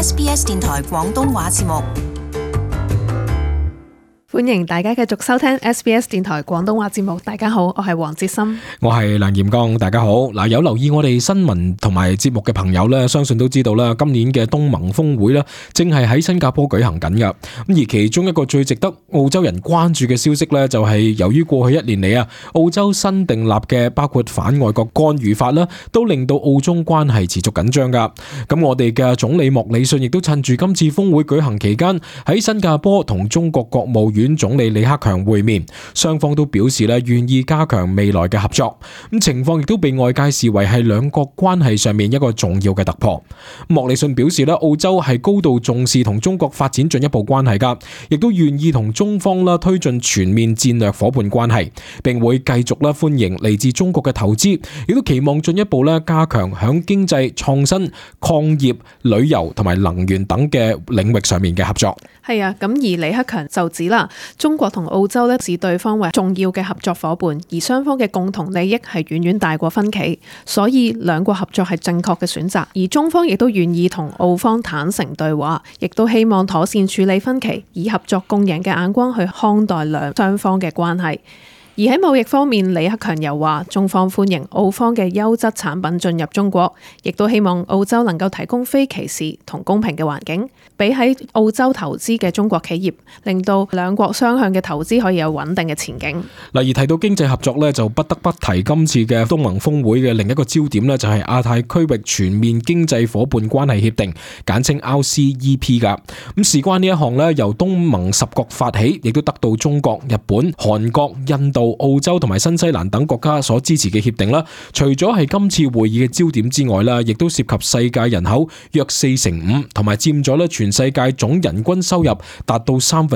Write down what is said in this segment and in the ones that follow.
SBS 電台廣東話節目。歡迎大家繼續收聽 SBS 電台廣東話節目。大家好，我係黃哲森，我係梁炎剛。大家好。嗱，有留意我哋新聞同埋節目嘅朋友咧，相信都知道啦，今年嘅東盟峰會咧，正係喺新加坡舉行緊噶。咁而其中一個最值得澳洲人關注嘅消息咧，就係由於過去一年嚟啊，澳洲新訂立嘅包括反外國干預法啦，都令到澳中關係持續緊張噶。咁我哋嘅總理莫里遜亦都趁住今次峰會舉行期間，喺新加坡同中國國務院總理李克強會面，雙方都表示咧願意加強未來嘅合作。咁情況亦都被外界視為係兩國關係上面一個重要嘅突破。莫里遜表示咧，澳洲係高度重視同中國發展進一步關係噶，亦都願意同中方啦推進全面戰略夥伴關係，並會繼續啦歡迎嚟自中國嘅投資，亦都期望進一步咧加強響經濟創新、礦業、旅遊同埋能源等嘅領域上面嘅合作。係啊，咁而李克強就指啦，中國同澳洲咧視對方為重要嘅合作夥伴，而雙方嘅共同利益係遠遠大過分歧，所以兩國合作係正確嘅選擇。而中方亦都願意同澳方坦誠對話，亦都希望妥善處理分歧，以合作共贏嘅眼光去看待雙方嘅關係。而喺貿易方面，李克強又話中方歡迎澳方嘅優質產品進入中國，亦都希望澳洲能夠提供非歧視同公平嘅環境，俾喺澳洲投資嘅中國企業，令到兩國雙向嘅投資可以有穩定嘅前景。嗱，而提到經濟合作咧，就不得不提今次嘅東盟峰會嘅另一個焦點咧，就係亞太區域全面經濟夥伴關係協定，簡稱 RCEP 噶。咁事關呢一項咧，由東盟10國發起，亦都得到中國、日本、韓國、印度、澳洲同埋新西蘭等國家所支持嘅協定啦，除咗係今次會議嘅焦點之外啦，亦都涉及世界人口約45%，同埋佔咗咧全世界總人均收入達到1/3。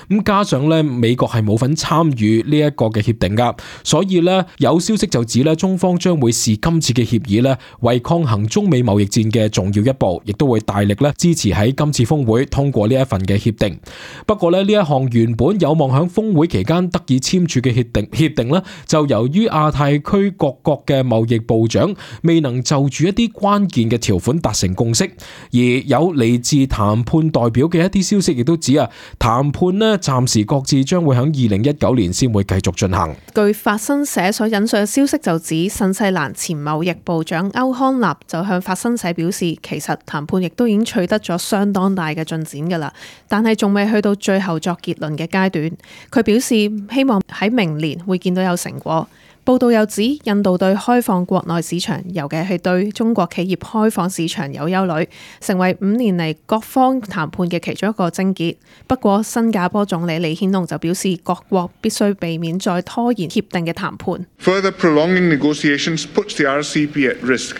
咁加上咧美國係冇份參與呢一個嘅協定噶，所以咧有消息就指咧中方將會視今次嘅協議咧為抗衡中美貿易戰嘅重要一步，亦都會大力咧支持喺今次峰會通過呢一份嘅協定。不過咧呢一項原本有望響峰會期間得以簽署嘅協定咧，就由於亞太區各國嘅貿易部長未能就住一啲關鍵嘅條款達成共識，而有嚟自談判代表嘅一啲消息亦都指啊，談判咧暫時各自將會喺2019年先會繼續進行。據法新社所引述嘅消息就指，新西蘭前貿易部長歐康納就向法新社表示，其實談判亦都已經取得咗相當大嘅進展㗎啦，但係仲未去到最後作結論嘅階段。佢表示希望喺明年會見到有成果。報道又指，印度對開放國內市場，尤其係對中國企業開放市場有憂慮，成為5年嚟各方談判嘅其中一個症結。不過，新加坡總理李顯龍就表示，各國必須避免再拖延協定嘅談判。Further prolonging negotiations puts the RCEP at risk.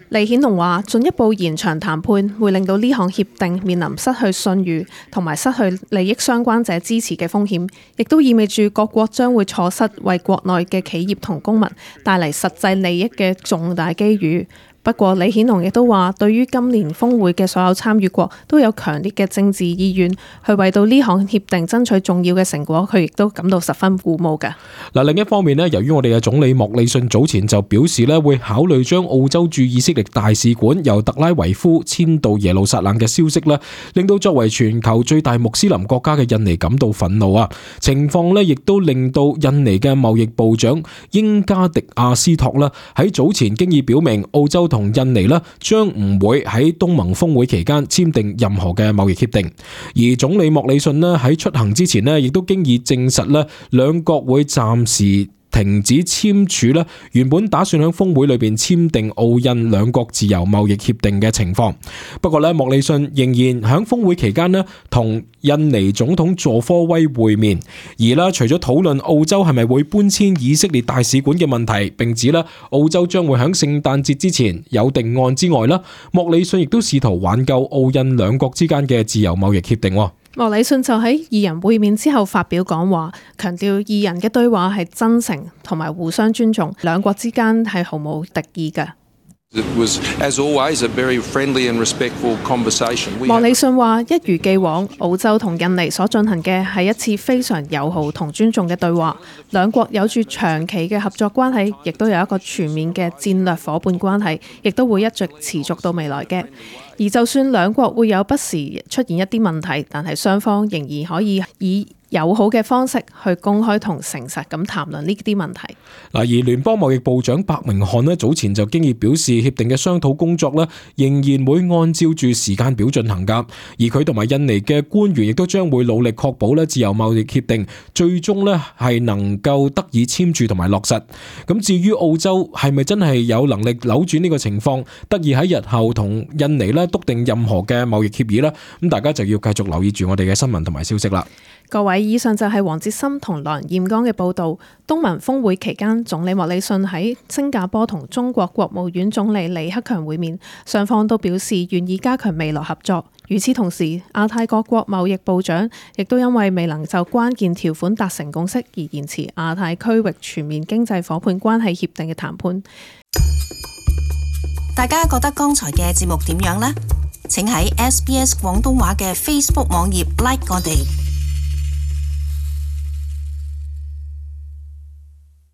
李顯龍話：進一步延長談判會令到呢項協定面臨失去信譽同埋失去利益相關者支持嘅風險，亦都意味住各國將會錯失為國內嘅企業同公民帶嚟實際利益嘅重大機遇。不過，李顯龍亦都話，對於今年峰會嘅所有參與國都有強烈嘅政治意願，去為到呢項協定爭取重要嘅成果，佢亦都感到十分鼓舞嘅。嗱，另一方面咧，由於我哋嘅總理莫里遜早前就表示咧，會考慮將澳洲駐以色列大使館由特拉維夫遷到耶路撒冷嘅消息咧，令到作為全球最大穆斯林國家嘅印尼感到憤怒啊！情況咧，亦都令到印尼嘅貿易部長英加迪亞斯托咧喺早前經已表明，澳洲同印尼將唔會喺東盟峰會期間簽訂任何嘅貿易協定，而總理莫里遜喺出行之前亦都經已證實兩國會暫時停止簽署原本打算喺峰會裏邊簽訂澳印兩國自由貿易協定嘅情況。不過莫里遜仍然喺峰會期間同印尼總統佐科威會面，而除咗討論澳洲係咪會搬遷以色列大使館嘅問題，並指澳洲將會喺聖誕節之前有定案之外，莫里遜亦都試圖挽救澳印兩國之間嘅自由貿易協定。莫里遜就喺二人會面之後發表講話，強調二人嘅對話係真誠同埋互相尊重，兩國之間係毫無敵意嘅。It was, as always, a very friendly and respectful conversation. 莫里遜話：一如既往，澳洲同印尼所進行嘅係一次非常友好同尊重嘅對話，兩國有住長期嘅合作關係，亦都有一個全面嘅戰略夥伴關係，亦都會一直持續到未來嘅。而就算兩國會有不時出現一啲問題，但係雙方仍然可以以友好嘅方式去公開同誠實咁談論呢啲問題。嗱，而聯邦貿易部長白明漢呢早前就經已表示，協定嘅商討工作呢仍然會按照住時間表進行㗎。而佢同埋印尼嘅官員亦都將會努力確保呢自由貿易協定最終呢係能夠得以簽署同埋落實。咁至於澳洲係咪真係有能力扭轉呢個情況，得以喺日後同印尼呢篤定任何嘅貿易協議呢？咁大家就要繼續留意住我哋嘅新聞同埋消息啦。各位，以上就係黃哲森同梁彥剛嘅報導。東盟峰會期間，總理莫里遜喺新加坡同中國國務院總理李克強會面，雙方都表示願意加強未來合作。與此同時，亞太各國貿易部長亦都因為未能就關鍵條款達成共識而延遲亞太區域全面經濟夥伴關係協定嘅談判。大家覺得剛才嘅節目點樣呢？請喺 SBS 廣東話嘅 Facebook 網頁 like 我哋。